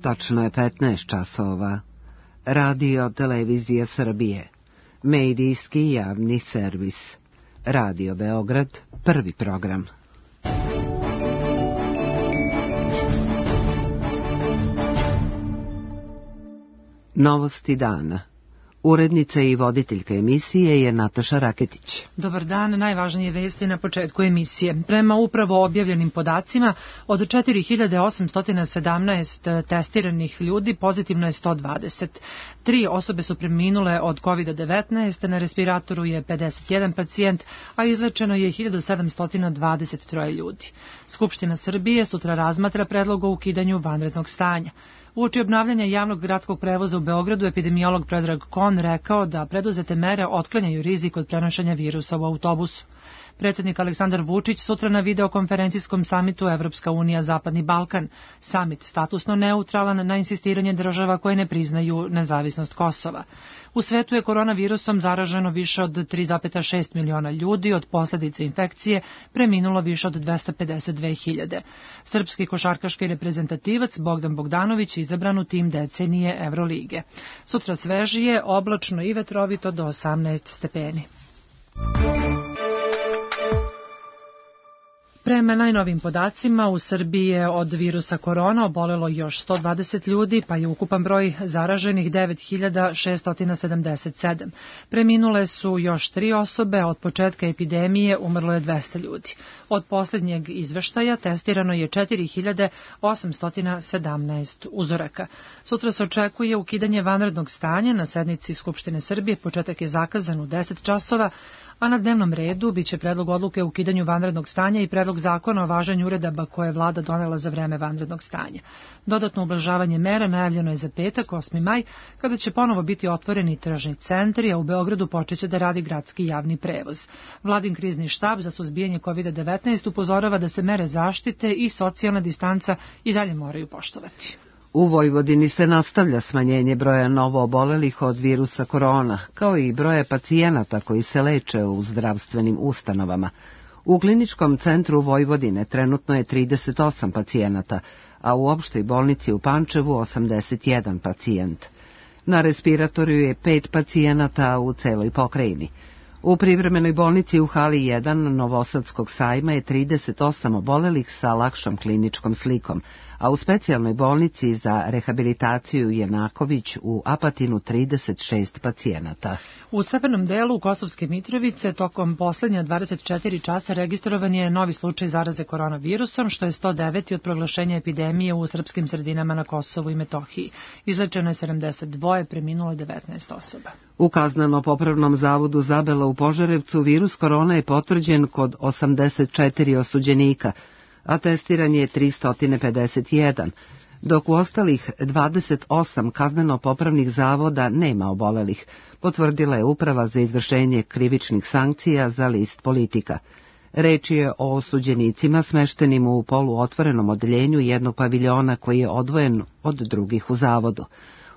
Tačno je 15 časova. Radio Televizija Srbije. Medijski javni servis. Radio Beograd, prvi program. Novosti dana. Urednica i voditeljka emisije je Nataša Raketić. Dobar dan, najvažnije vesti na početku emisije. Prema upravo objavljenim podacima, od 4817 testiranih ljudi pozitivno je 120. 3 osobe su preminule od COVID-19, na respiratoru je 51 pacijent, a izlečeno je 1723 ljudi. Skupština Srbije sutra razmatra predlog o ukidanju vanrednog stanja. Uoči obnavljanja javnog gradskog prevoza u Beogradu, epidemiolog Predrag Kon rekao da preduzete mere otklanjaju rizik od prenošenja virusa u autobusu. Predsjednik Aleksandar Vučić sutra na videokonferencijskom samitu Evropska unija Zapadni Balkan. Samit statusno neutralan na insistiranje država koje ne priznaju nezavisnost Kosova. U svetu je koronavirusom zaraženo više od 3,6 miliona ljudi, od posljedice infekcije preminulo više od 252.000. Srpski košarkaški reprezentativac Bogdan Bogdanović izabran u tim decenije Evrolige. Sutra svežije, oblačno i vetrovito do 18 stepeni. Prema najnovim podacima, u Srbiji je od virusa korona obolelo još 120 ljudi, pa je ukupan broj zaraženih 9677. Preminule su još 3 osobe, a od početka epidemije umrlo je 200 ljudi. Od posljednjeg izveštaja testirano je 4817 uzoraka. Sutra se očekuje ukidanje vanrednog stanja na sednici Skupštine Srbije. Početak je zakazan u 10 časova, a na dnevnom redu biće predlog odluke o ukidanju vanrednog stanja i predlog zakona o važenju uredaba koje je vlada donela za vreme vanrednog stanja. Dodatno ublažavanje mera najavljeno je za petak, 8. maj, kada će ponovo biti otvoreni tržni centri, a u Beogradu počeće da radi gradski javni prevoz. Vladin krizni štab za suzbijanje COVID-19 upozorava da se mere zaštite i socijalna distanca i dalje moraju poštovati. U Vojvodini se nastavlja smanjenje broja novoobolelih od virusa korona, kao i broja pacijenata koji se leče u zdravstvenim ustanovama. U kliničkom centru Vojvodine trenutno je 38 pacijenata, a u opštoj bolnici u Pančevu 81 pacijent. Na respiratoru je 5 pacijenata u celoj pokrajini. U privremenoj bolnici u hali 1 Novosadskog sajma je 38 obolelih sa lakšom kliničkom slikom, a u specijalnoj bolnici za rehabilitaciju Jenaković u Apatinu 36 pacijenata. U severnom delu Kosovske Mitrovice tokom posljednja 24 časa registrovan je novi slučaj zaraze koronavirusom, što je 109. od proglašenja epidemije u srpskim sredinama na Kosovu i Metohiji. Izlečeno je 72, preminulo je 19 osoba. U Kazneno-popravnom zavodu Zabela u Požarevcu virus korona je potvrđen kod 84 osuđenika, a testiran je 351, dok u ostalih 28 kazneno-popravnih zavoda nema obolelih, potvrdila je Uprava za izvršenje krivičnih sankcija za list Politika. Reč je o osuđenicima smeštenim u poluotvorenom odeljenju jednog paviljona koji je odvojen od drugih u zavodu.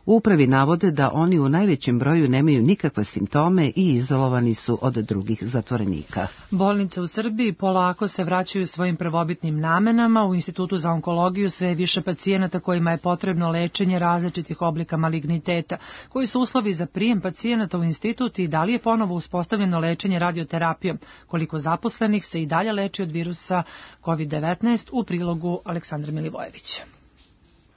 U upravi navode da oni u najvećem broju nemaju nikakve simptome i izolovani su od drugih zatvorenika. Bolnice u Srbiji polako se vraćaju svojim prvobitnim namenama. U Institutu za onkologiju sve je više pacijenata kojima je potrebno lečenje različitih oblika maligniteta. Koji su uslovi za prijem pacijenata u institut i da li je ponovo uspostavljeno lečenje radioterapijom? Koliko zaposlenih se i dalje leči od virusa COVID-19 u prilogu Aleksandra Milivojevića.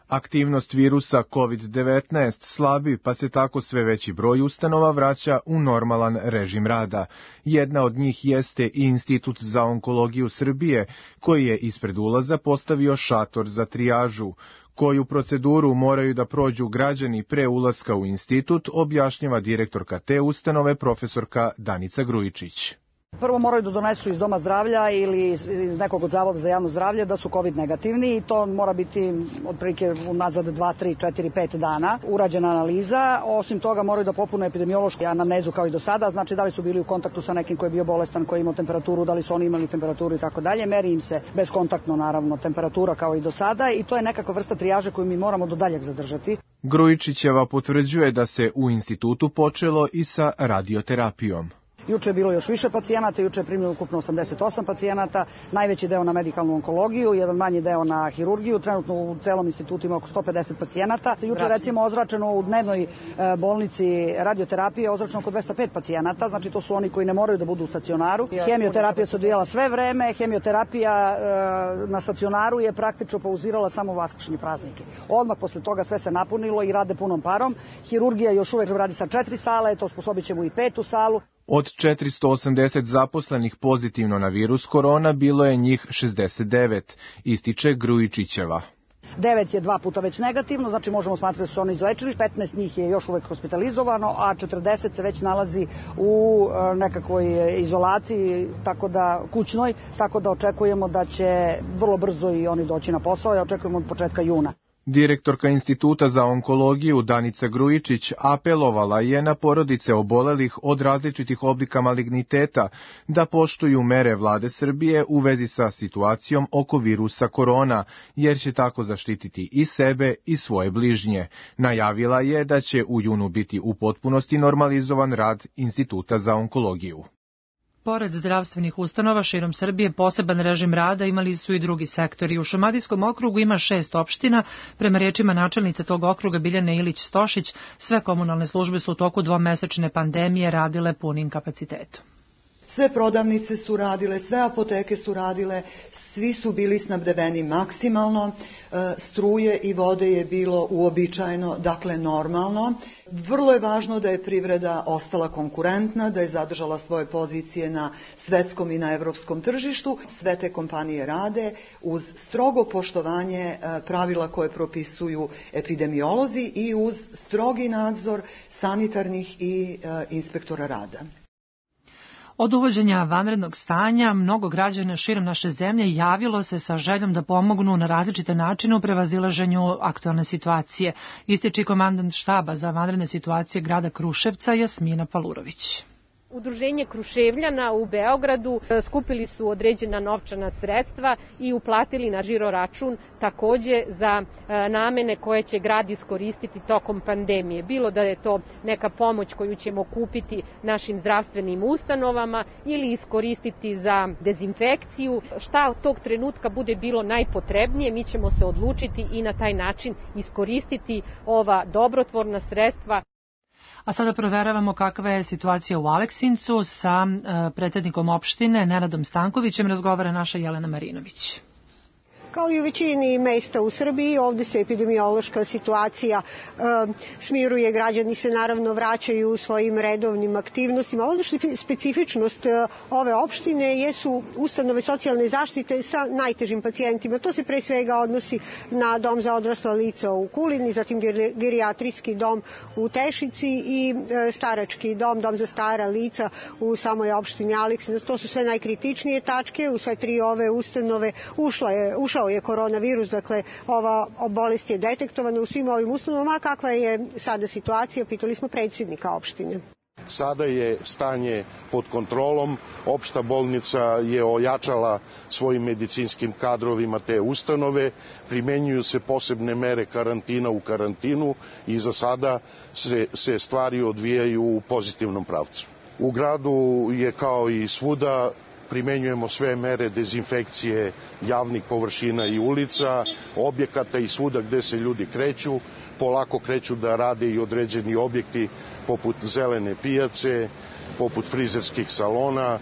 Aktivnost virusa COVID-19 slabi, pa se tako sve veći broj ustanova vraća u normalan režim rada. Jedna od njih jeste i Institut za onkologiju Srbije, koji je ispred ulaza postavio šator za trijažu. Koju proceduru moraju da prođu građani pre ulaska u institut, objašnjava direktorka te ustanove, profesorka Danica Grujičić. Prvo moraju da donesu iz doma zdravlja ili iz nekog od zavoda za javno zdravlje da su COVID negativni i to mora biti otprilike unazad 2, 3, 4, 5 dana urađena analiza. Osim toga moraju da popune epidemiološku anamnezu kao i do sada, znači da li su bili u kontaktu sa nekim koji je bio bolestan, koji je imao temperaturu, da li su oni imali temperaturu i tako dalje. Meri im se bezkontaktno naravno temperatura kao i do sada i to je nekakva vrsta trijaže koju mi moramo do daljeg zadržati. Grujičićeva potvrđuje da se u institutu počelo i sa radioterapijom. Juče je bilo još više pacijenata, juče je primljeno ukupno 88 pacijenata, najveći deo na medikalnu onkologiju, jedan manji deo na hirurgiju, trenutno u celom institutu ima oko 150 pacijenata. Juče recimo ozračeno u dnevnoj bolnici radioterapije ozračeno oko 205 pacijenata, znači to su oni koji ne moraju da budu u stacionaru. Hemioterapija se odvijala sve vreme, hemioterapija na stacionaru je praktično pauzirala samo vaskršnje praznike. Odmah posle toga sve se napunilo i rade punom parom. Hirurgija još uvek radi sa 4 sale, to sposobit ćemo i 5. salu. Od 480 zaposlenih pozitivno na virus korona bilo je njih 69, ističe Grujičićeva. 9 je 2 puta već negativno, znači možemo smatrati da su oni izlečili, 15 njih je još uvek hospitalizovano, a 40 se već nalazi u nekakvoj izolaciji, kućnoj, tako da očekujemo da će vrlo brzo i oni doći na posao i očekujemo od početka juna. Direktorka Instituta za onkologiju Danica Grujičić apelovala je na porodice obolelih od različitih oblika maligniteta da poštuju mere vlade Srbije u vezi sa situacijom oko virusa korona, jer će tako zaštititi i sebe i svoje bližnje. Najavila je da će u junu biti u potpunosti normalizovan rad Instituta za onkologiju. Pored zdravstvenih ustanova širom Srbije, poseban režim rada imali su i drugi sektori. U Šumadijskom okrugu ima 6 opština. Prema rečima načelnice tog okruga Biljane Ilić-Stošić, sve komunalne službe su u toku dvomesečne pandemije radile punim kapacitetom. Sve prodavnice su radile, sve apoteke su radile, svi su bili snabdeveni maksimalno, struje i vode je bilo uobičajeno, dakle normalno. Vrlo je važno da je privreda ostala konkurentna, da je zadržala svoje pozicije na svetskom i na evropskom tržištu. Sve te kompanije rade uz strogo poštovanje pravila koje propisuju epidemiolozi i uz strogi nadzor sanitarnih i inspektora rada. Od uvođenja vanrednog stanja, mnogo građana širom naše zemlje javilo se sa željom da pomognu na različite načine u prevazilaženju aktualne situacije, ističe komandant štaba za vanredne situacije grada Kruševca Jasmina Palurović. Udruženje Kruševljana u Beogradu skupili su određena novčana sredstva i uplatili na žiro račun takođe za namene koje će grad iskoristiti tokom pandemije. Bilo da je to neka pomoć koju ćemo kupiti našim zdravstvenim ustanovama ili iskoristiti za dezinfekciju. Šta od tog trenutka bude bilo najpotrebnije, mi ćemo se odlučiti i na taj način iskoristiti ova dobrotvorna sredstva. A sada proveravamo kakva je situacija u Aleksincu. Sa predsjednikom opštine Nenadom Stankovićem razgovara naša Jelena Marinović. Kao i u većini mesta u Srbiji, ovde se epidemiološka situacija smiruje, građani se naravno vraćaju u svojim redovnim aktivnostima. Ono što je specifičnost ove opštine jesu ustanove socijalne zaštite sa najtežim pacijentima. To se pre svega odnosi na dom za odrasla lica u Kulini, zatim gerijatrijski dom u Tešici i starački dom za stara lica u samoj opštini Aleksinac. To su sve najkritičnije tačke. U sve 3 ove ustanove ušao je koronavirus, dakle ova bolest je detektovana u svim ovim ustanovama. Kakva je sada situacija? Pitali smo predsjednika opštine. Sada je stanje pod kontrolom, opšta bolnica je ojačala svojim medicinskim kadrovima te ustanove, primenjuju se posebne mere karantina u karantinu i za sada se stvari odvijaju u pozitivnom pravcu. U gradu je kao i svuda, primenjujemo sve mere dezinfekcije javnih površina i ulica, objekata i svuda gde se ljudi kreću. Polako kreću da rade i određeni objekti poput zelene pijace, poput frizerskih salona.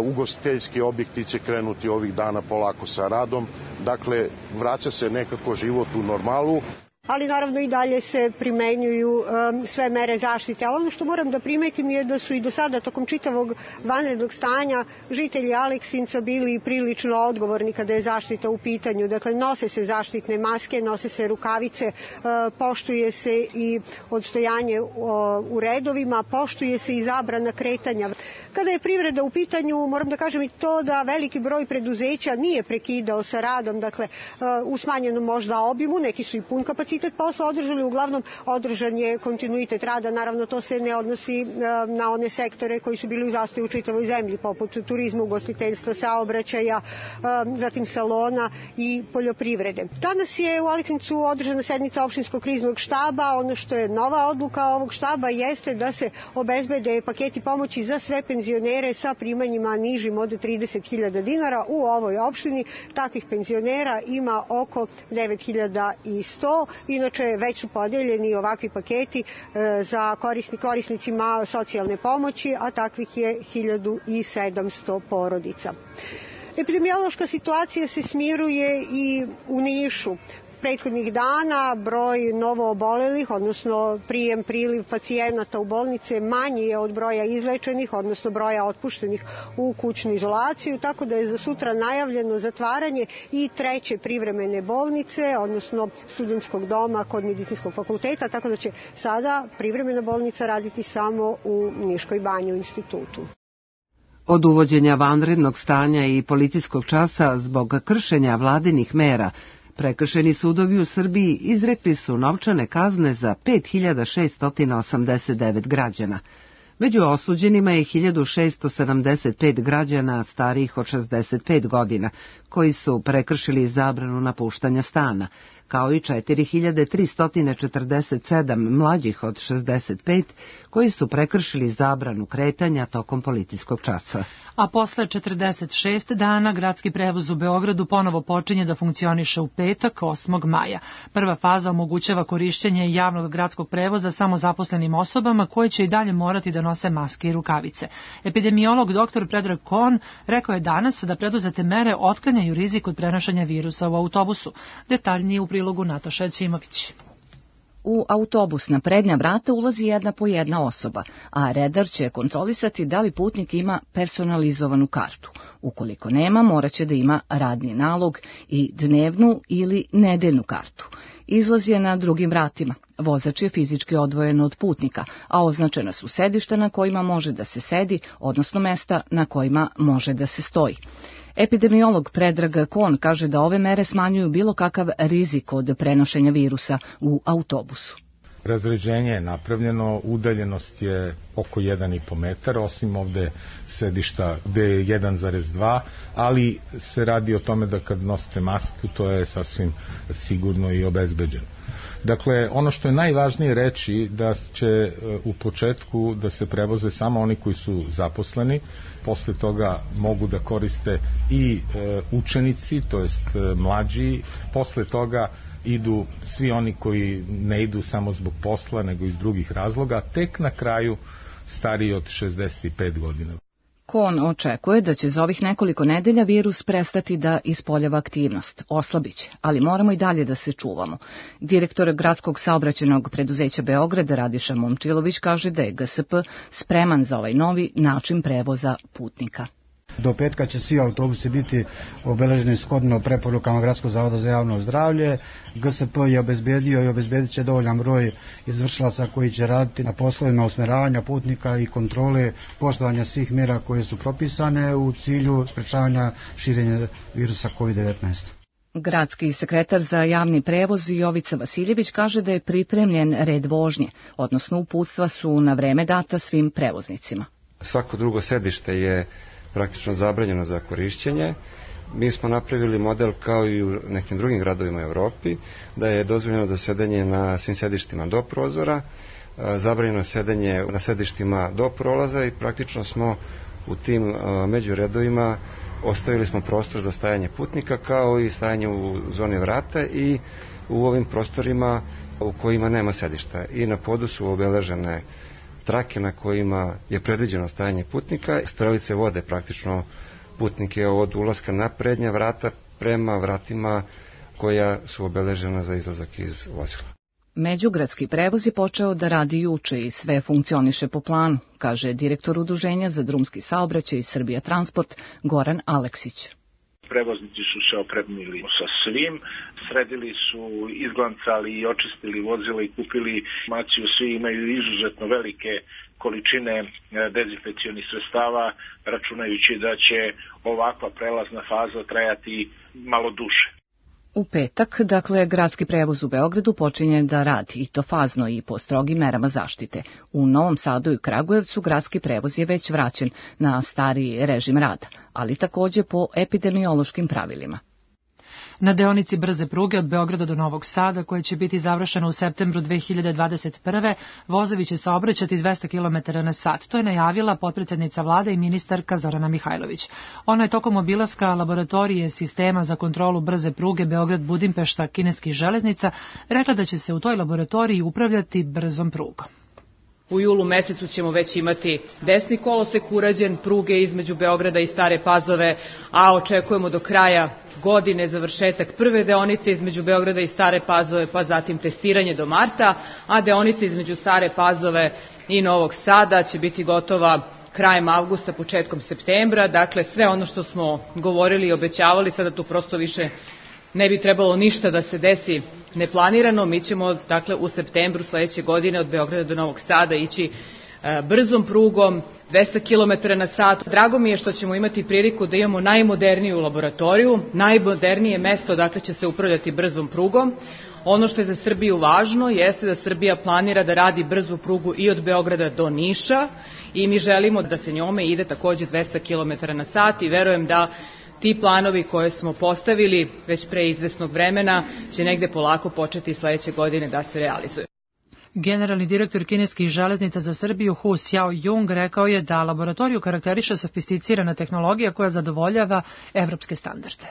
Ugostiteljski objekti će krenuti ovih dana polako sa radom. Dakle, vraća se nekako život u normalu. Ali naravno i dalje se primenjuju sve mere zaštite. Ali ono što moram da primetim je da su i do sada tokom čitavog vanrednog stanja žitelji Aleksinca bili prilično odgovorni kada je zaštita u pitanju. Dakle, nose se zaštitne maske, nose se rukavice, poštuje se i odstojanje u redovima, poštuje se i zabrana kretanja. Kada je privreda u pitanju, moram da kažem i to da veliki broj preduzeća nije prekidao sa radom, dakle u smanjenom možda obimu, neki su i pun kapacitet kapacitet posla održali, uglavnom održan je kontinuitet rada. Naravno, to se ne odnosi na one sektore koji su bili u zastoju u čitavoj zemlji, poput turizma, ugostiteljstva, saobraćaja, zatim salona i poljoprivrede. Danas je u Aleksincu održana sednica opštinskog kriznog štaba. Ono što je nova odluka ovog štaba jeste da se obezbede paketi pomoći za sve penzionere sa primanjima nižim od 30.000 dinara u ovoj opštini. Takvih penzionera ima oko 9.100. Inače, već su podeljeni ovakvi paketi za korisnicima socijalne pomoći, a takvih je 1.700 porodica. Epidemiološka situacija se smiruje i u Nišu. Prethodnih dana broj novoobolelih, odnosno priliv pacijenata u bolnice manji je od broja izlečenih, odnosno broja otpuštenih u kućnu izolaciju, tako da je za sutra najavljeno zatvaranje i treće privremene bolnice, odnosno studentskog doma kod medicinskog fakulteta, tako da će sada privremena bolnica raditi samo u Niškoj banji u institutu. Od uvođenja vanrednog stanja i policijskog časa zbog kršenja vladinih mera, prekršeni sudovi u Srbiji izrekli su novčane kazne za 5.689 građana. Među osuđenima je 1.675 građana starijih od 65 godina, koji su prekršili zabranu napuštanja stana, kao i 4.347 mlađih od 65 koji su prekršili zabranu kretanja tokom policijskog časa. A posle 46 dana gradski prevoz u Beogradu ponovo počinje da funkcioniše u petak, 8. maja. Prva faza omogućava korišćenje javnog gradskog prevoza samo zaposlenim osobama koje će i dalje morati da nose maske i rukavice. Epidemiolog dr. Predrag Kon rekao je danas da preduzete mere otklanjaju rizik od prenošenja virusa u autobusu. Detaljnije u prilogu Nataša Ćimović. U autobus na prednja vrata ulazi jedna po jedna osoba, a redar će kontrolisati da li putnik ima personalizovanu kartu. Ukoliko nema, moraće da ima radni nalog i dnevnu ili nedeljnu kartu. Izlaz je na drugim vratima. Vozač je fizički odvojen od putnika, a označena su sedišta na kojima može da se sedi, odnosno mesta na kojima može da se stoji. Epidemiolog Predrag Kon kaže da ove mere smanjuju bilo kakav rizik od prenošenja virusa u autobusu. Razređenje je napravljeno, udaljenost je oko 1,5 metar, osim ovde sedišta gde je 1,2, ali se radi o tome da kad nosite masku, to je sasvim sigurno i obezbeđeno. Dakle, ono što je najvažnije reći da će u početku da se prevoze samo oni koji su zaposleni, posle toga mogu da koriste i učenici, to jest mlađi, posle toga idu svi oni koji ne idu samo zbog posla, nego iz drugih razloga, tek na kraju stariji od 65 godina. Kon očekuje da će za ovih nekoliko nedelja virus prestati da ispoljava aktivnost, oslabiće, ali moramo i dalje da se čuvamo. Direktor Gradskog saobraćajnog preduzeća Beograda Radiša Momčilović kaže da je GSP spreman za ovaj novi način prevoza putnika. Do petka će svi autobusi biti obeleženi shodno preporukama Gradskog zavoda za javno zdravlje. GSP je obezbedio i obezbedit će dovoljan broj izvršilaca koji će raditi na poslovima usmeravanja putnika i kontrole poštovanja svih mjera koje su propisane u cilju sprečavanja širenja virusa COVID-19. Gradski sekretar za javni prevoz Jovica Vasiljević kaže da je pripremljen red vožnje, odnosno uputstva su na vreme data svim prevoznicima. Svako drugo sedište je praktično zabranjeno za korišćenje. Mi smo napravili model kao i u nekim drugim gradovima u Evropi, da je dozvoljeno za sedenje na svim sedištima do prozora, zabranjeno sedenje na sedištima do prolaza i praktično smo u tim međuredovima ostavili smo prostor za stajanje putnika kao i stajanje u zoni vrata i u ovim prostorima u kojima nema sedišta. I na podu su obeležene trake na kojima je predviđeno stajanje putnika. Strelice vode praktično putnike od ulaska na prednja vrata prema vratima koja su obeležena za izlazak iz vozila. Međugradski prevoz je počeo da radi juče i sve funkcioniše po planu, kaže direktor Udruženja za drumski saobraćaj i Srbija Transport Goran Aleksić. Prevoznici su se opremili sa svim, sredili su, izglancali i očistili vozila i kupili informaciju. Svi imaju izuzetno velike količine dezinfekcionih sredstava, računajući da će ovakva prelazna faza trajati malo duže. U petak, dakle, gradski prevoz u Beogradu počinje da radi, i to fazno i po strogim merama zaštite. U Novom Sadu i Kragujevcu gradski prevoz je već vraćen na stari režim rada, ali takođe po epidemiološkim pravilima. Na deonici brze pruge od Beograda do Novog Sada, koja će biti završena u septembru 2021. vozovi će saobraćati 200 km na sat. To je najavila potpredsednica vlade i ministarka Zorana Mihajlović. Ona je tokom obilaska laboratorije sistema za kontrolu brze pruge Beograd-Budimpešta kineskih železnica rekla da će se u toj laboratoriji upravljati brzom prugom. U julu mesecu ćemo već imati desni kolosek urađen, pruge između Beograda i Stare Pazove, a očekujemo do kraja godine završetak prve deonice između Beograda i Stare Pazove, pa zatim testiranje do marta, a deonica između Stare Pazove i Novog Sada će biti gotova krajem avgusta, početkom septembra. Dakle, sve ono što smo govorili i obećavali, sada tu prosto više ne bi trebalo ništa da se desi neplanirano. Mi ćemo, dakle, u septembru sledeće godine od Beograda do Novog Sada ići brzom prugom, 200 km na sat. Drago mi je što ćemo imati priliku da imamo najmoderniju laboratoriju, najmodernije mesto, dakle, će se upravljati brzom prugom. Ono što je za Srbiju važno jeste da Srbija planira da radi brzu prugu i od Beograda do Niša i mi želimo da se njome ide takođe 200 km na sat i verujem da ti planovi koje smo postavili već pre izvesnog vremena će negde polako početi sledeće godine da se realizuju. Generalni direktor kineskih železnica za Srbiju Hu Xiaojung rekao je da laboratoriju karakteriše sofisticirana tehnologija koja zadovoljava evropske standarde.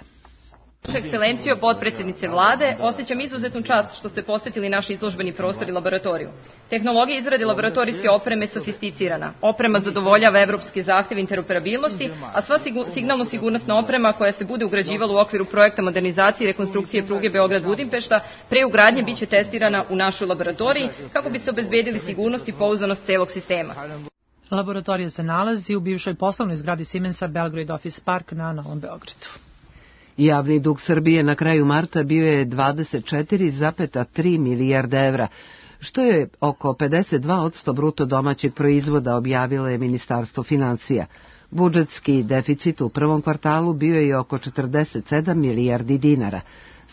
Vaša ekscelencijo, potpredsjednice vlade, osjećam izuzetnu čast što ste posetili naš izložbeni prostor i laboratoriju. Tehnologija izrade laboratorijske opreme je sofisticirana. Oprema zadovoljava evropske zahteve interoperabilnosti, a sva signalno-sigurnosna oprema koja se bude ugrađivala u okviru projekta modernizacije i rekonstrukcije pruge Beograd-Budimpešta pre ugradnje biće testirana u našoj laboratoriji kako bi se obezbedili sigurnost i pouzdanost celog sistema. Laboratorija se nalazi u bivšoj poslovnoj zgradi Siemensa Belgrade Office Park na Novom Beogradu. Javni dug Srbije na kraju marta bio je 24,3 milijarde evra, što je oko 52% bruto domaćeg proizvoda, objavilo je Ministarstvo finansija. Budžetski deficit u prvom kvartalu bio je oko 47 milijardi dinara.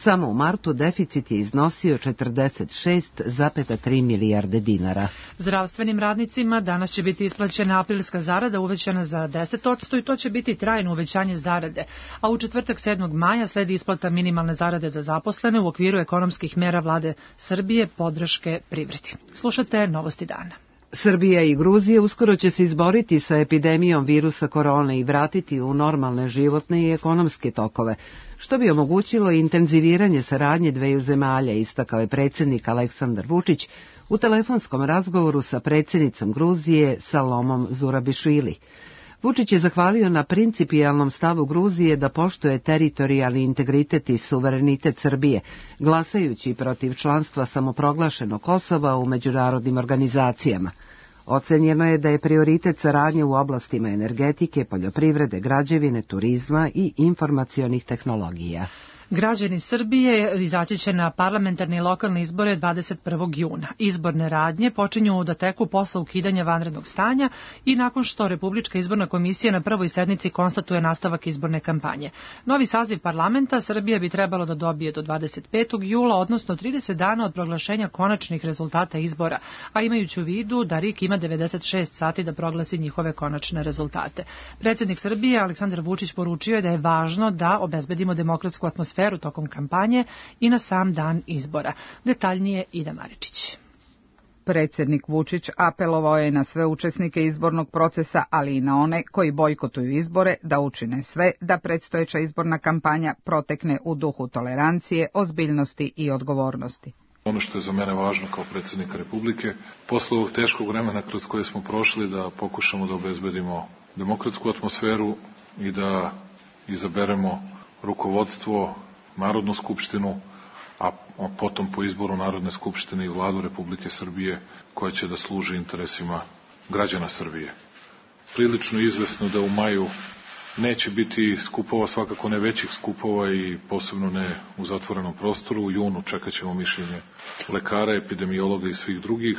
Samo u martu deficit je iznosio 46,3 milijarde dinara. Zdravstvenim radnicima danas će biti isplaćena aprilska zarada uvećana za 10% i to će biti trajno uvećanje zarade. A u četvrtak 7. maja sledi isplata minimalne zarade za zaposlene u okviru ekonomskih mera vlade Srbije podrške privredi. Slušate Novosti dana. Srbija i Gruzija uskoro će se izboriti sa epidemijom virusa korone i vratiti u normalne životne i ekonomske tokove, što bi omogućilo intenziviranje saradnje dveju zemalja, istakao je predsjednik Aleksandar Vučić u telefonskom razgovoru sa predsjednicom Gruzije Salomom Zurabišvili. Vučić je zahvalio na principijelnom stavu Gruzije da poštuje teritorijalni integritet i suverenitet Srbije, glasajući protiv članstva samoproglašenog Kosova u međunarodnim organizacijama. Ocenjeno je da je prioritet saradnje u oblastima energetike, poljoprivrede, građevine, turizma i informacionih tehnologija. Građani Srbije izaći će na parlamentarne i lokalne izbore 21. juna. Izborne radnje počinju da teku posle ukidanja vanrednog stanja i nakon što Republička izborna komisija na prvoj sednici konstatuje nastavak izborne kampanje. Novi saziv parlamenta Srbija bi trebalo da dobije do 25. jula, odnosno 30 dana od proglašenja konačnih rezultata izbora, a imajući u vidu da RIK ima 96 sati da proglasi njihove konačne rezultate. Predsjednik Srbije Aleksandar Vučić poručio je da je važno da obezbedimo demokratsku atmosferu tokom kampanje i na sam dan izbora. Detaljnije Ida Maričić. Predsjednik Vučić apelovao je na sve učesnike izbornog procesa, ali i na one koji bojkotuju izbore, da učine sve da predstojeća izborna kampanja protekne u duhu tolerancije, ozbiljnosti i odgovornosti. Ono što je za mene važno kao predsjednika Republike, posle ovog teškog vremena kroz koje smo prošli, da pokušamo da obezbedimo demokratsku atmosferu i da izaberemo rukovodstvo, Narodnu skupštinu, a potom po izboru Narodne skupštine i vladu Republike Srbije koja će da služi interesima građana Srbije. Prilično izvesno da u maju neće biti skupova, svakako ne većih skupova i posebno ne u zatvorenom prostoru. U junu čekat ćemo mišljenje lekara, epidemiologa i svih drugih.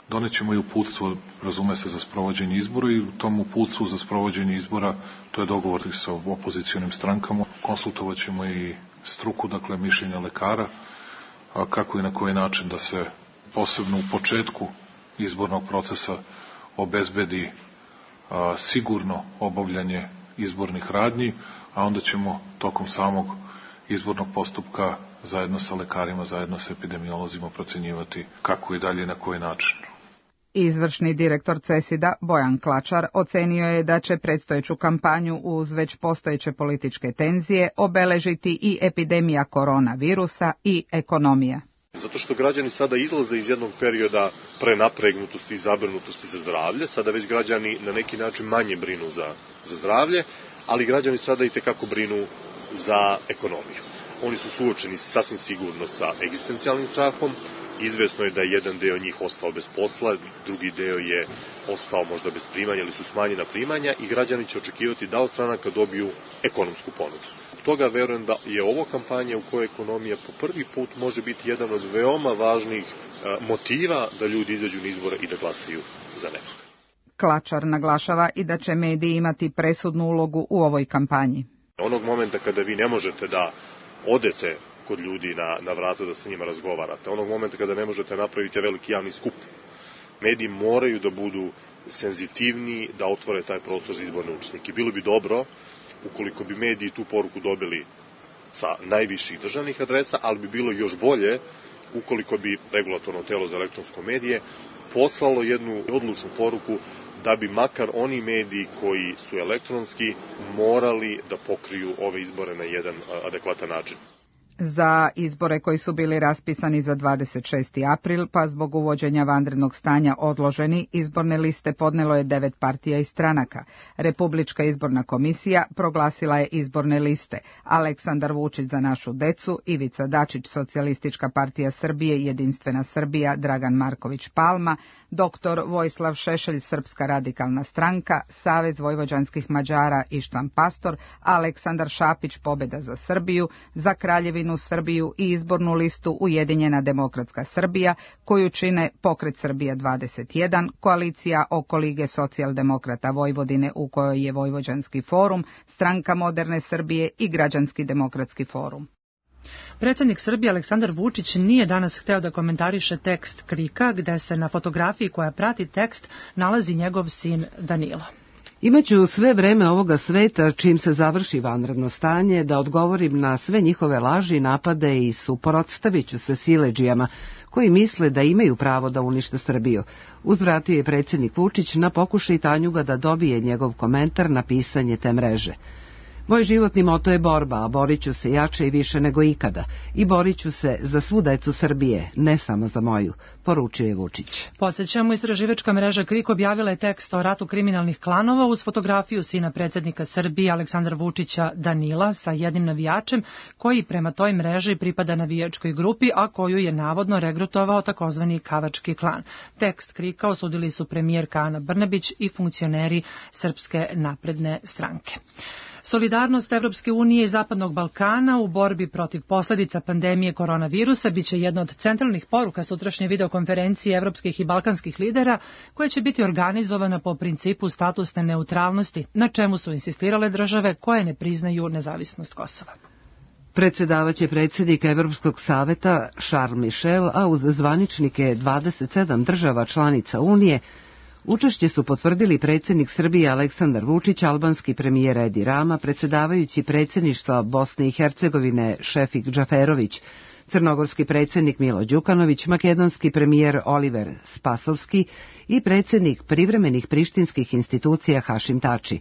Donećemo i uputstvo, razume se, za sprovođenje izbora i u tom uputstvu za sprovođenje izbora, to je dogovor sa opozicionim strankama, konsultovat ćemo i struku, dakle mišljenja lekara, kako i na koji način da se posebno u početku izbornog procesa obezbedi sigurno obavljanje izbornih radnji, a onda ćemo tokom samog izbornog postupka zajedno sa lekarima, zajedno sa epidemiolozima procenjivati kako i dalje i na koji način. Izvršni direktor CESID-a Bojan Klačar ocenio je da će predstojeću kampanju uz već postojeće političke tenzije obeležiti i epidemija koronavirusa i ekonomija. Zato što građani sada izlaze iz jednog perioda prenapregnutosti i zabrinutosti za zdravlje, sada već građani na neki način manje brinu za zdravlje, ali građani sada i tekako brinu za ekonomiju. Oni su suočeni sasvim sigurno sa egzistencijalnim strahom, izvesno je da je jedan deo njih ostao bez posla, drugi deo je ostao možda bez primanja ili su smanjena primanja i građani će očekivati da od stranaka dobiju ekonomsku ponudu. Toga verujem da je ovo kampanja u kojoj ekonomija po prvi put može biti jedan od veoma važnih motiva da ljudi izađu na izbore i da glasaju za nekog. Klačar naglašava i da će mediji imati presudnu ulogu u ovoj kampanji. Onog momenta kada vi ne možete da odete kod ljudi na vrata da sa njima razgovarate, onog momenta kada ne možete napraviti veliki javni skup, mediji moraju da budu senzitivniji, da otvore taj prostor za izborne učesnike. Bilo bi dobro ukoliko bi mediji tu poruku dobili sa najviših državnih adresa, ali bi bilo još bolje ukoliko bi regulatorno telo za elektronsko medije poslalo jednu odlučnu poruku da bi makar oni mediji koji su elektronski morali da pokriju ove izbore na jedan adekvatan način. Za izbore koji su bili raspisani za 26. april, pa zbog uvođenja vanrednog stanja odloženi, izborne liste podnelo je 9 partija i stranaka. Republička izborna komisija proglasila je izborne liste: Aleksandar Vučić za našu decu, Ivica Dačić Socijalistička partija Srbije, Jedinstvena Srbija, Dragan Marković Palma, dr. Vojislav Šešelj Srpska radikalna stranka, Savez vojvođanskih Mađara Ištvan Pastor, Aleksandar Šapić Pobeda za Srbiju, za Kraljevinu Srbiju i izbornu listu Ujedinjena demokratska Srbija, koju čine Pokret Srbija 21, koalicija oko Lige socijaldemokrata Vojvodine u kojoj je Vojvođanski forum, Stranka moderne Srbije i Građanski demokratski forum. Predsjednik Srbije Aleksandar Vučić nije danas hteo da komentariše tekst KRIK-a, gde se na fotografiji koja prati tekst nalazi njegov sin Danilo. Imaću sve vreme ovoga sveta, čim se završi vanredno stanje, da odgovorim na sve njihove laži, napade i suprotstavit ću se siledžijama koji misle da imaju pravo da unište Srbiju. Uzvratio je predsjednik Vučić na pokušaj Tanjuga da dobije njegov komentar na pisanje te mreže. Moj životni moto je borba, a borit ću se jače i više nego ikada. I borit ću se za svu decu Srbije, ne samo za moju, poručio je Vučić. Podsjećamo, istraživačka mreža KRIK objavila je tekst o ratu kriminalnih klanova uz fotografiju sina predsjednika Srbije Aleksandra Vučića Danila sa jednim navijačem koji prema toj mreži pripada navijačkoj grupi, a koju je navodno regrutovao takozvani Kavački klan. Tekst KRIK-a osudili su premijerka Ana Brnabić i funkcioneri Srpske napredne stranke. Solidarnost Evropske unije i Zapadnog Balkana u borbi protiv posljedica pandemije koronavirusa biće jedna od centralnih poruka sutrašnje videokonferencije evropskih i balkanskih lidera, koja će biti organizovana po principu statusne neutralnosti, na čemu su insistirale države koje ne priznaju nezavisnost Kosova. Predsjedavaće predsjednik Evropskog saveta Charles Michel, a uz zvaničnike 27 država članica Unije, učešće su potvrdili predsjednik Srbije Aleksandar Vučić, albanski premijer Edi Rama, predsjedavajući predsjedništva Bosne i Hercegovine Šefik Džaferović, crnogorski predsjednik Milo Đukanović, makedonski premijer Oliver Spasovski i predsjednik privremenih prištinskih institucija Hašim Tači.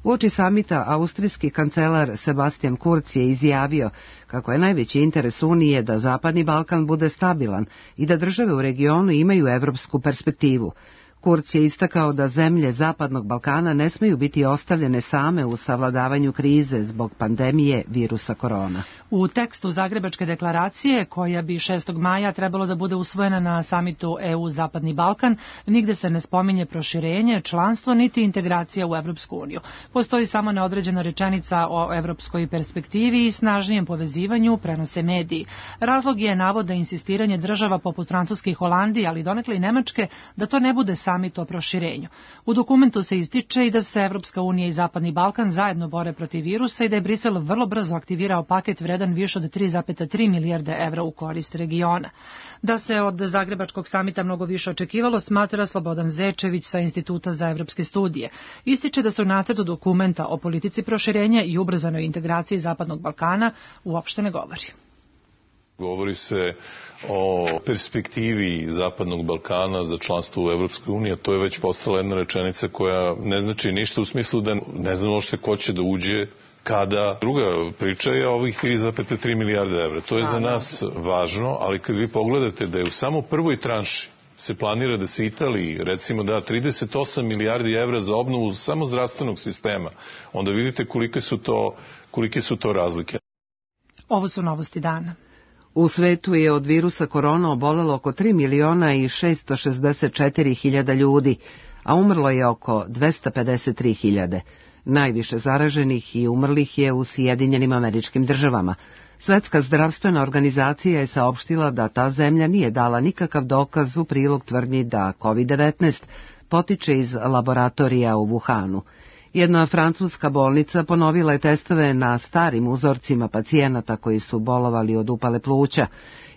Uoči samita austrijski kancelar Sebastian Kurz je izjavio kako je najveći interes Unije da Zapadni Balkan bude stabilan i da države u regionu imaju evropsku perspektivu. Kurz je istakao da zemlje Zapadnog Balkana ne smiju biti ostavljene same u savladavanju krize zbog pandemije virusa korona. U tekstu Zagrebačke deklaracije, koja bi 6. maja trebalo da bude usvojena na samitu EU Zapadni Balkan, nigde se ne spominje proširenje, članstvo niti integracija u Evropsku uniju. Postoji samo neodređena rečenica o evropskoj perspektivi i snažnijem povezivanju, prenose mediji. Razlog je navode insistiranje država poput Francuske i Holandije, ali donekle i Nemačke, da to ne bude samo samit o proširenju. U dokumentu se ističe i da se Evropska unija i Zapadni Balkan zajedno bore protiv virusa i da je Brisel vrlo brzo aktivirao paket vredan više od 3,3 milijarde evra u korist regiona. Da se od Zagrebačkog samita mnogo više očekivalo, smatra Slobodan Zečević sa Instituta za evropske studije. Ističe da se u nacrtu dokumenta o politici proširenja i ubrzanoj integraciji Zapadnog Balkana uopšte ne govori. Govori se o perspektivi Zapadnog Balkana za članstvo u Evropskoj uniji, a to je već postala jedna rečenica koja ne znači ništa u smislu da ne znamo što ko će da uđe kada. Druga priča je ovih 3,3 milijarde evra. To je za nas važno, ali kad vi pogledate da je u samo prvoj tranši se planira da se Italiji, recimo, da 38 milijardi evra za obnovu samo zdravstvenog sistema, onda vidite kolike su to razlike. Ovo su novosti dana. U svetu je od virusa korona obolelo oko 3.664.000 ljudi, a umrlo je oko 253.000. Najviše zaraženih i umrlih je u Sjedinjenim Američkim Državama. Svetska zdravstvena organizacija je saopštila da ta zemlja nije dala nikakav dokaz u prilog tvrdnji da COVID-19 potiče iz laboratorija u Wuhanu. Jedna francuska bolnica ponovila je testove na starim uzorcima pacijenata koji su bolovali od upale pluća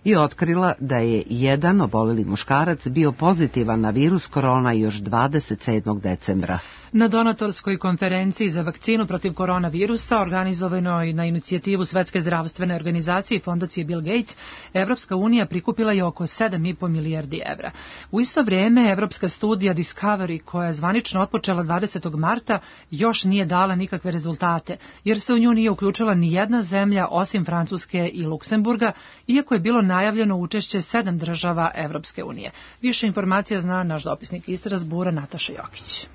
i otkrila da je jedan oboleli muškarac bio pozitivan na virus korona još 27. decembra. Na donatorskoj konferenciji za vakcinu protiv koronavirusa, organizovanoj na inicijativu Svetske zdravstvene organizacije i fondacije Bill Gates, Evropska unija prikupila je oko 7,5 milijardi evra. U isto vrijeme, evropska studija Discovery, koja je zvanično otpočela 20. marta, još nije dala nikakve rezultate, jer se u nju nije uključila ni jedna zemlja osim Francuske i Luksemburga, iako je bilo najavljeno učešće 7 država Evropske unije. Više informacija zna naš dopisnik iz Strasbura Nataša Jokić.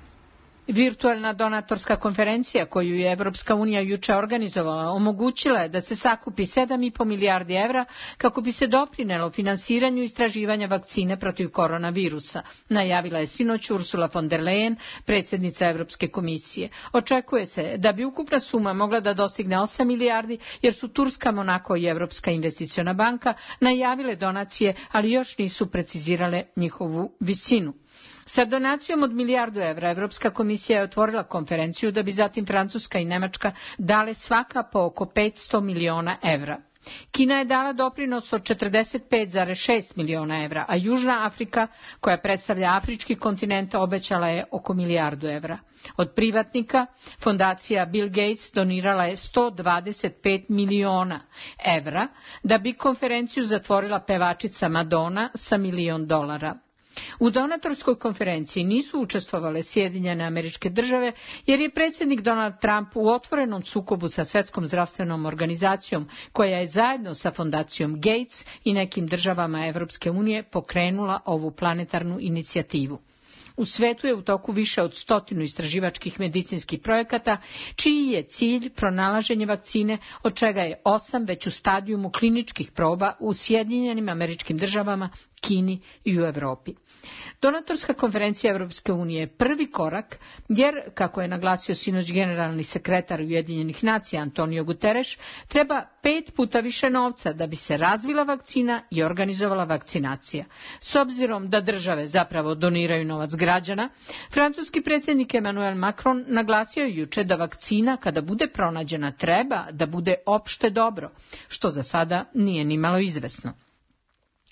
Virtualna donatorska konferencija koju je Evropska unija juče organizovala omogućila je da se sakupi 7,5 milijardi evra kako bi se doprinelo finansiranju istraživanja vakcine protiv koronavirusa, najavila je sinoć Ursula von der Leyen, predsjednica Evropske komisije. Očekuje se da bi ukupna suma mogla da dostigne 8 milijardi jer su Turska, Monako i Evropska investiciona banka najavile donacije, ali još nisu precizirale njihovu visinu. Sa donacijom od milijardu evra Evropska komisija je otvorila konferenciju da bi zatim Francuska i Nemačka dale svaka po oko 500 miliona evra. Kina je dala doprinos od 45,6 miliona evra, a Južna Afrika, koja predstavlja afrički kontinent, obećala je oko milijardu evra. Od privatnika, fondacija Bill Gates donirala je 125 miliona evra, da bi konferenciju zatvorila pevačica Madonna sa $1 milion. U donatorskoj konferenciji nisu učestvovale Sjedinjene Američke Države jer je predsjednik Donald Trump u otvorenom sukobu sa Svetskom zdravstvenom organizacijom koja je zajedno sa fondacijom Gates i nekim državama Evropske unije pokrenula ovu planetarnu inicijativu. U svetu je u toku više od 100 istraživačkih medicinskih projekata, čiji je cilj pronalaženje vakcine, od čega je 8 već u stadijumu kliničkih proba u Sjedinjenim Američkim Državama, Kini i u Evropi. Donatorska konferencija Evropske unije je prvi korak, jer, kako je naglasio sinoć generalni sekretar Ujedinjenih nacija Antonio Guterres, treba 5 puta više novca da bi se razvila vakcina i organizovala vakcinacija. S obzirom da države zapravo doniraju novac građana, francuski predsjednik Emmanuel Macron naglasio je juče da vakcina, kada bude pronađena, treba da bude opšte dobro, što za sada nije nimalo izvesno.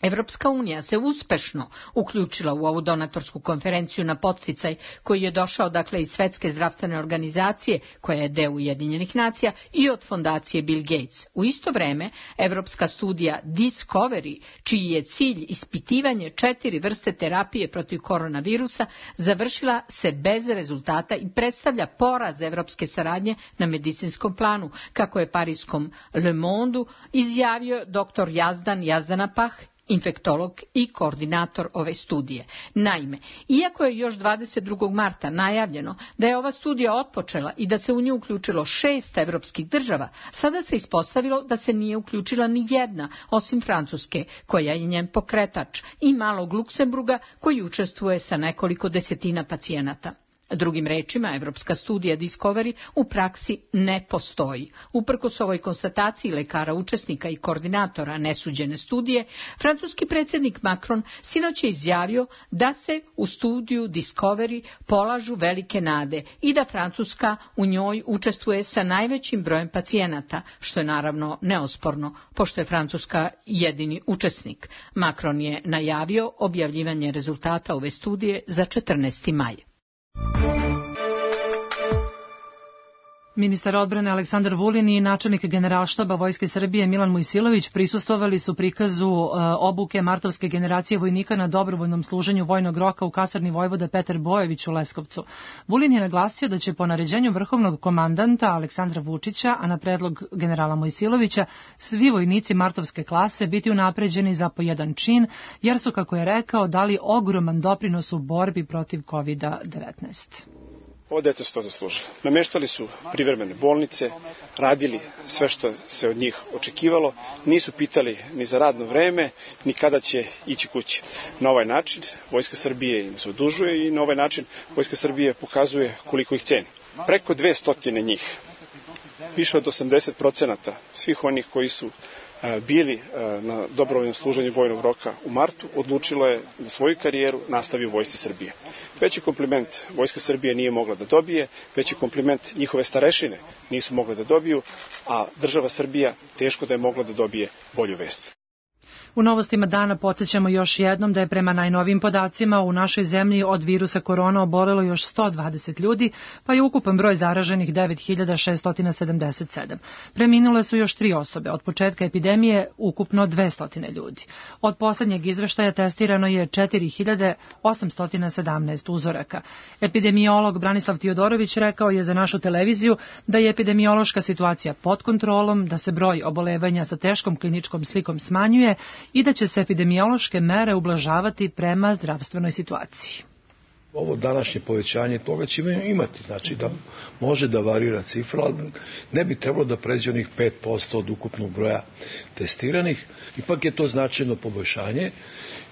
Evropska unija se uspešno uključila u ovu donatorsku konferenciju na podsticaj koji je došao iz Svetske zdravstvene organizacije, koja je deo Ujedinjenih nacija, i od fondacije Bill Gates. U isto vreme, evropska studija Discovery, čiji je cilj ispitivanje 4 vrste terapije protiv koronavirusa, završila se bez rezultata i predstavlja poraz evropske saradnje na medicinskom planu, kako je parijskom Le Mondeu izjavio dr. Yazdan Yazdanapah, infektolog i koordinator ove studije. Naime, iako je još 22. marta najavljeno da je ova studija otpočela i da se u nju uključilo 6 evropskih država, sada se ispostavilo da se nije uključila ni jedna, osim Francuske, koja je njen pokretač, i malog Luksemburga, koji učestvuje sa nekoliko desetina pacijenata. Drugim rečima, evropska studija Discovery u praksi ne postoji. Uprkos ovoj konstataciji lekara učesnika i koordinatora nesuđene studije, francuski predsjednik Macron sinoć je izjavio da se u studiju Discovery polažu velike nade i da Francuska u njoj učestvuje sa najvećim brojem pacijenata, što je naravno neosporno, pošto je Francuska jedini učesnik. Macron je najavio objavljivanje rezultata ove studije za 14. maj. Ministar odbrane Aleksandar Vulin i načelnik Generalštaba Vojske Srbije Milan Mojsilović prisustvovali su prikazu obuke martovske generacije vojnika na dobrovoljnom služenju vojnog roka u kasarni vojvoda Petar Bojević u Leskovcu. Vulin je naglasio da će po naređenju vrhovnog komandanta Aleksandra Vučića, a na predlog generala Mojsilovića, svi vojnici martovske klase biti unapređeni za po jedan čin, jer su, kako je rekao, dali ogroman doprinos u borbi protiv COVID-19. Ovo deca su to zaslužila. Nameštali su privremene bolnice, radili sve što se od njih očekivalo, nisu pitali ni za radno vreme, ni kada će ići kući. Na ovaj način Vojska Srbije im se odužuje i na ovaj način Vojska Srbije pokazuje koliko ih ceni. Preko 200 njih, više od 80% svih onih koji su bili na dobrovoljnom služenju vojnog roka u martu, odlučilo je da svoju karijeru nastavi u Vojsci Srbije. Veći kompliment Vojska Srbije nije mogla da dobije, veći kompliment njihove starešine nisu mogli da dobiju, a država Srbija teško da je mogla da dobije bolju vest. U novostima dana podsjećamo još jednom da je prema najnovijim podacima u našoj zemlji od virusa korona obolelo još 120 ljudi, pa je ukupan broj zaraženih 9677. Preminule su još 3 osobe. Od početka epidemije ukupno 200 ljudi. Od poslednjeg izveštaja testirano je 4817 uzoraka. Epidemiolog Branislav Tiodorović rekao je za našu televiziju da je epidemiološka situacija pod kontrolom, da se broj obolevanja sa teškom kliničkom slikom smanjuje i da će se epidemiološke mere ublažavati prema zdravstvenoj situaciji. Ovo današnje povećanje toga će imati, znači da može da varira cifra, ali ne bi trebalo da pređe onih 5% od ukupnog broja testiranih. Ipak je to značajno poboljšanje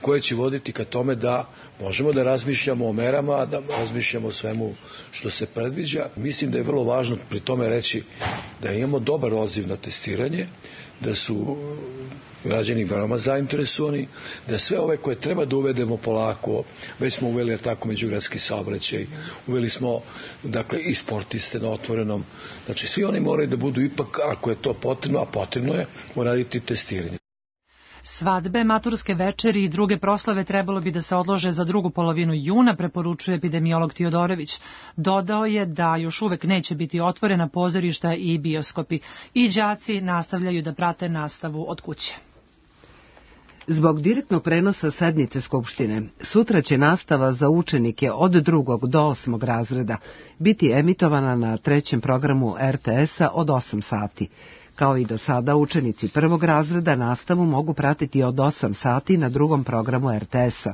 koje će voditi ka tome da možemo da razmišljamo o merama, da razmišljamo o svemu što se predviđa. Mislim da je vrlo važno pri tome reći da imamo dobar odziv na testiranje, da su građani veoma zainteresovani, da sve ove koje treba da uvedemo polako, već smo uveli tako međugradski saobraćaj, uveli smo dakle i sportiste na otvorenom, znači svi oni moraju da budu ipak, ako je to potrebno, a potrebno je, uraditi testiranje. Svadbe, maturske večeri i druge proslave trebalo bi da se odlože za drugu polovinu juna, preporučuje epidemiolog Tiodorović. Dodao je da još uvek neće biti otvorena pozorišta i bioskopi i đaci nastavljaju da prate nastavu od kuće. Zbog direktnog prenosa sednice Skupštine, sutra će nastava za učenike od 2. do 8. razreda biti emitovana na 3. programu RTS-a od 8 sati. Kao i do sada, učenici 1. razreda nastavu mogu pratiti od 8 sati na 2. programu RTS-a.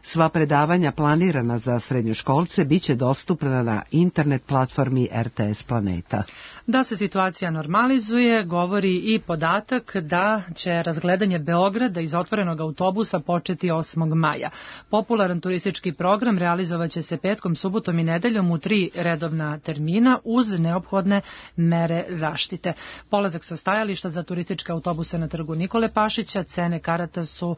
Sva predavanja planirana za srednjoškolce biće dostupna na internet platformi RTS Planeta. Da se situacija normalizuje, govori i podatak da će razgledanje Beograda iz otvorenog autobusa početi 8. maja. Popularan turistički program realizovaće se petkom, subotom i nedeljom u 3 redovna termina uz neophodne mere zaštite. Polazak sa stajališta za turističke autobuse na trgu Nikole Pašića, cene karata su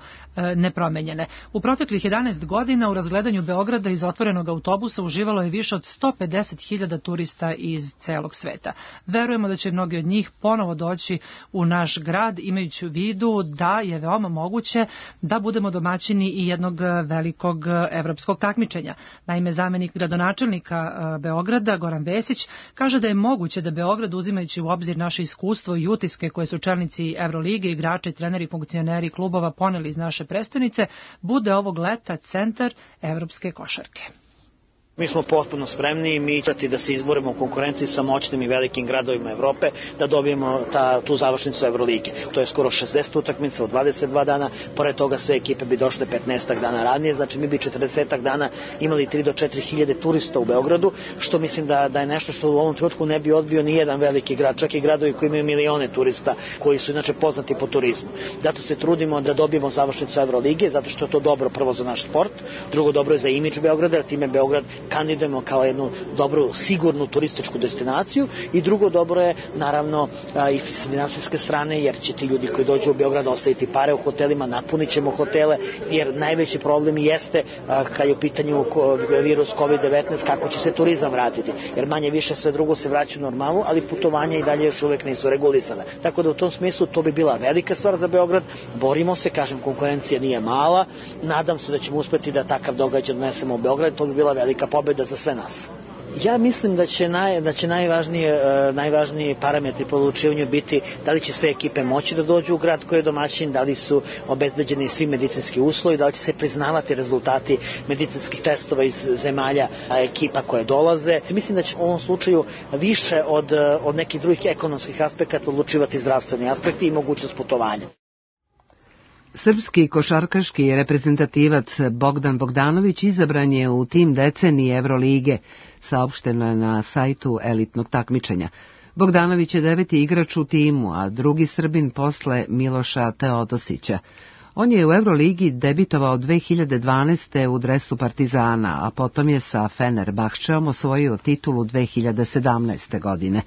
nepromenjene. U proteklih 11 godina u razgledanju Beograda iz otvorenog autobusa uživalo je više od 150.000 turista iz celog sveta. Verujemo da će mnogi od njih ponovo doći u naš grad, imajući u vidu da je veoma moguće da budemo domaćini i jednog velikog evropskog takmičenja. Naime, zamenik gradonačelnika Beograda, Goran Vesić, kaže da je moguće da Beograd, uzimajući u obzir naše iskustvo i utiske koje su čelnici Evrolige, igrači, treneri, funkcioneri klubova poneli iz naše prestonice, bude ovog leta centar evropske košarke. Mi smo potpuno spremni i mi ćemo da se izborimo u konkurenciji sa moćnim i velikim gradovima Evrope, da dobijemo tu završnicu Evrolige. To je skoro 60 utakmica u 22 dana, pored toga sve ekipe bi došle 15 dana ranije, znači mi bi 40 dana imali 3 do 4 hiljade turista u Beogradu, što mislim da je nešto što u ovom trenutku ne bi odbio ni jedan veliki grad, čak i gradovi koji imaju milione turista, koji su inače poznati po turizmu. Zato se trudimo da dobijemo završnicu Evrolige, zato što je to dobro prvo za naš sport, drugo dobro je za imidž Beograda, jer time Beograd kandidujemo kao jednu dobru, sigurnu turističku destinaciju i drugo dobro je naravno i s finansijske strane, jer će ti ljudi koji dođu u Beograd ostaviti pare u hotelima, napunit ćemo hotele, jer najveći problem jeste kad je u pitanju virus COVID-19 kako će se turizam vratiti, jer manje više sve drugo se vraća u normalu, ali putovanja i dalje još uvek nisu regulisana. Tako da u tom smislu to bi bila velika stvar za Beograd, borimo se, kažem, konkurencija nije mala, nadam se da ćemo uspeti da takav događaj donesemo u Beograd, to bi bila velika pobeda za sve nas. Ja mislim da će najvažniji parametri po odlučivanju biti da li će sve ekipe moći da dođu u grad koji je domaćin, da li su obezbeđeni svi medicinski uslovi, da li će se priznavati rezultati medicinskih testova iz zemalja ekipa koje dolaze. Mislim da će u ovom slučaju više od nekih drugih ekonomskih aspekata odlučivati zdravstveni aspekti i mogućnost putovanja. Srpski košarkaški reprezentativac Bogdan Bogdanović izabran je u tim decenije Evrolige, saopšteno je na sajtu elitnog takmičenja. Bogdanović je 9. igrač u timu, a drugi Srbin posle Miloša Teodosića. On je u Evroligi debitovao 2012. u dresu Partizana, a potom je sa Fenerbahčeom osvojio titulu 2017. godine.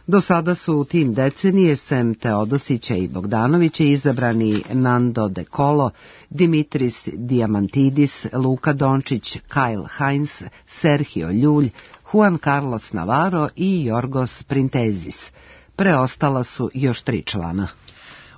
Do sada su u tim decenije sem Teodosića i Bogdanovića izabrani Nando De Colo, Dimitris Diamantidis, Luka Dončić, Kyle Hines, Sergio Ljulj, Juan Carlos Navarro i Jorgos Printezis. Preostala su još 3 člana.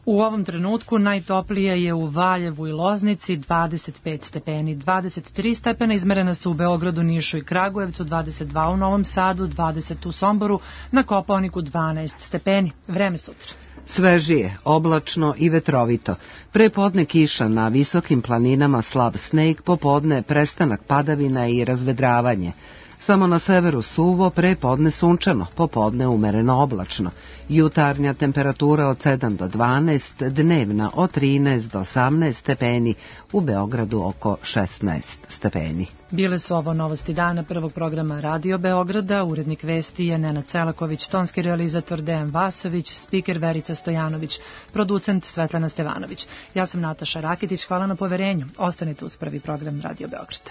U ovom trenutku najtoplije je u Valjevu i Loznici 25 stepeni, 23 stepena izmerena su u Beogradu, Nišu i Kragujevcu, 22 u Novom Sadu, 20 u Somboru, na Kopaoniku 12 stepeni. Vreme sutra. Svežije, oblačno i vetrovito. Pre podne kiša na visokim planinama, slab sneg, popodne prestanak padavina i razvedravanje. Samo na severu suvo, pre podne sunčano, popodne umereno oblačno. Jutarnja temperatura od 7 do 12, dnevna od 13 do 18 stepeni, u Beogradu oko 16 stepeni. Bile su ovo novosti dana prvog programa Radio Beograda, urednik vesti je Nenad Celaković, tonski realizator Dejan Vasović, spiker Verica Stojanović, producent Svetlana Stevanović. Ja sam Nataša Rakitić, hvala na poverenju. Ostanite uz prvi program Radio Beograda.